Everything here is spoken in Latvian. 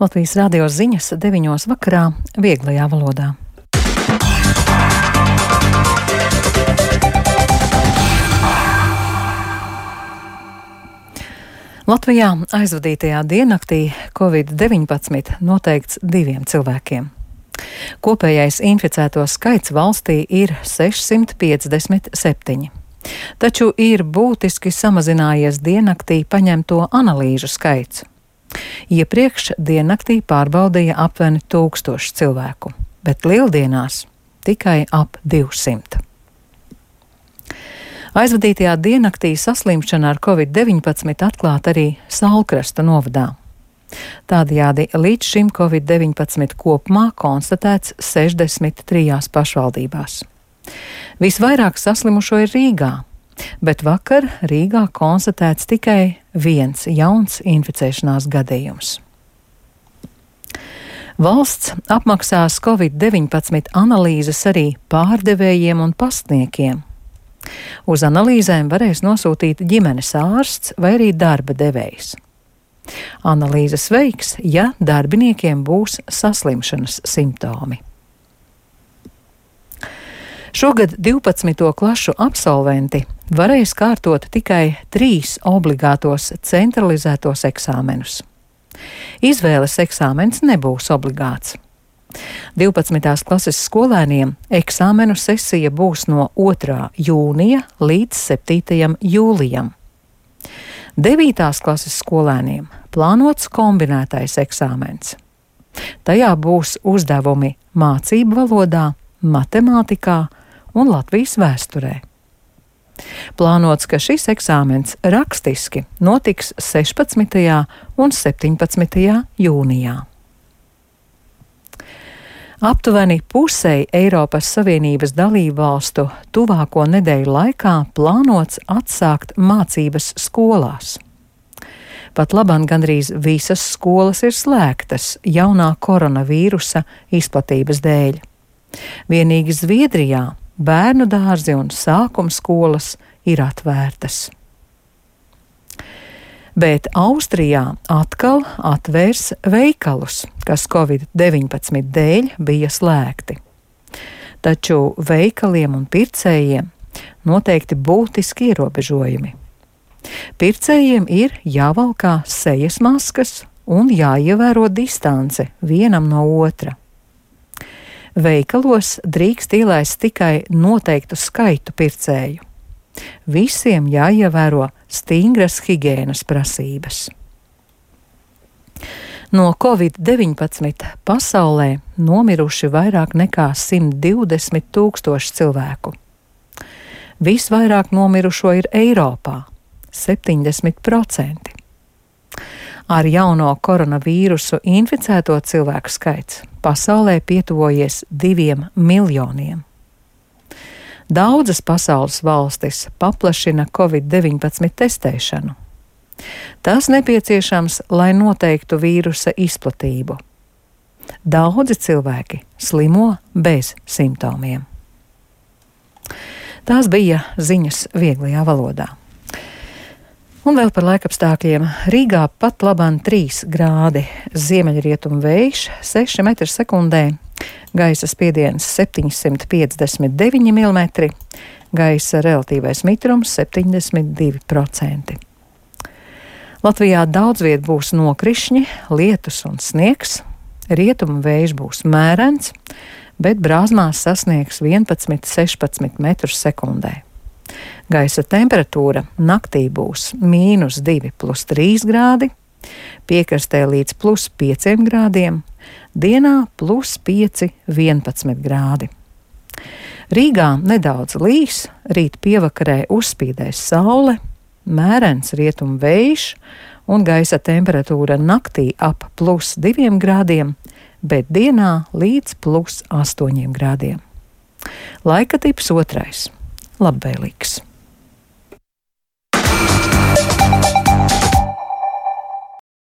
Latvijas radio ziņas 9 vakarā vieglajā valodā. Latvijā aizvadītajā diennaktī Covid-19 noteikts 2 cilvēkiem. Kopējais inficēto skaits valstī ir 657, taču ir būtiski samazinājies diennaktī paņemto analīžu skaits. Iepriekš diennaktī pārbaudīja aptuveni 1000 cilvēku, bet lieldienās tikai ap 200. Aizvadītajā diennaktī saslimšana ar Covid-19 atklāta arī Saulkrasta novadā. Tādējādi līdz šim Covid-19 kopumā konstatēts 63 pašvaldībās. Visvairāk saslimušo ir Rīgā, bet vakar Rīgā konstatēts tikai 1 jauns inficēšanās gadījums. Valsts apmaksās Covid-19 analīzes arī pārdevējiem un pastniekiem. Uz analīzēm varēs nosūtīt ģimenes ārsts vai arī darba devējs. Analīzes veiks, ja darbiniekiem būs saslimšanas simptomi. Šogad 12. klašu absolventi varēs kārtot tikai 3 obligātos centralizētos eksāmenus. Izvēles eksāmens nebūs obligāts. 12. klases skolēniem eksāmenu sesija būs no 2. jūnija līdz 7. jūlijam. 9. klases skolēniem plānots kombinētais eksāmens. Tajā būs uzdevumi mācību valodā, matemātikā un Latvijas vēsturē. Plānots, ka šis eksāmens rakstiski notiks 16. un 17. jūnijā. Aptuveni pusei Eiropas Savienības dalību valstu tuvāko nedēļu laikā plānots atsākt mācības skolās. Pat labāk gandrīz visas skolas ir slēgtas jaunā koronavīrusa izplatības dēļ. Vienīgi Zviedrijā bērnu dārzi un sākuma skolas ir atvērtas. Bet Austrijā atkal atvērs veikalus, kas Covid-19 dēļ bija slēgti. Taču veikaliem un pircējiem noteikti būtiski ierobežojumi. Pircējiem ir jāvalkā sejas maskas un jāievēro distance vienam no otra. Veikalos drīkst ielaist tikai noteiktu skaitu pircēju. Visiem jāievēro stingras higienas prasības. No Covid-19 pasaulē nomiruši vairāk nekā 120 000 cilvēku. Visvairāk nomirušo ir Eiropā – 70%. Ar jauno koronavīrusu inficēto cilvēku skaits pasaulē pietuvojies 2 miljoniem. Daudzas pasaules valstis paplašina Covid-19 testēšanu. Tas nepieciešams, lai noteiktu vīrusa izplatību. Daudzi cilvēki slimo bez simptomiem. Tās bija ziņas vieglajā valodā. Un vēl par laikapstākļiem. Rīgā pat labāk 3 grādi, ziemeļrietumu vējš 6 m/sekundē, gaisa spiediens 759 mm, gaisa relatīvais mitrums 72%. Latvijā daudz viet būs nokrišņi, lietus un sniegs, rietumu vējš būs mērens, bet brāzmās sasniegs 11–16 m/sekundē. Gaisa temperatūra naktī būs -2 + 3 grādi, piekrastē līdz +5 grādiem, dienā +5, 11 grādi. Rīgā nedaudz līs, rīt pievakarē uzspīdēs saule, mērens rietumu vējš un gaisa temperatūra naktī ap +2 grādiem, bet dienā līdz +8 grādiem. Laika tips 2. Labvēlīgs.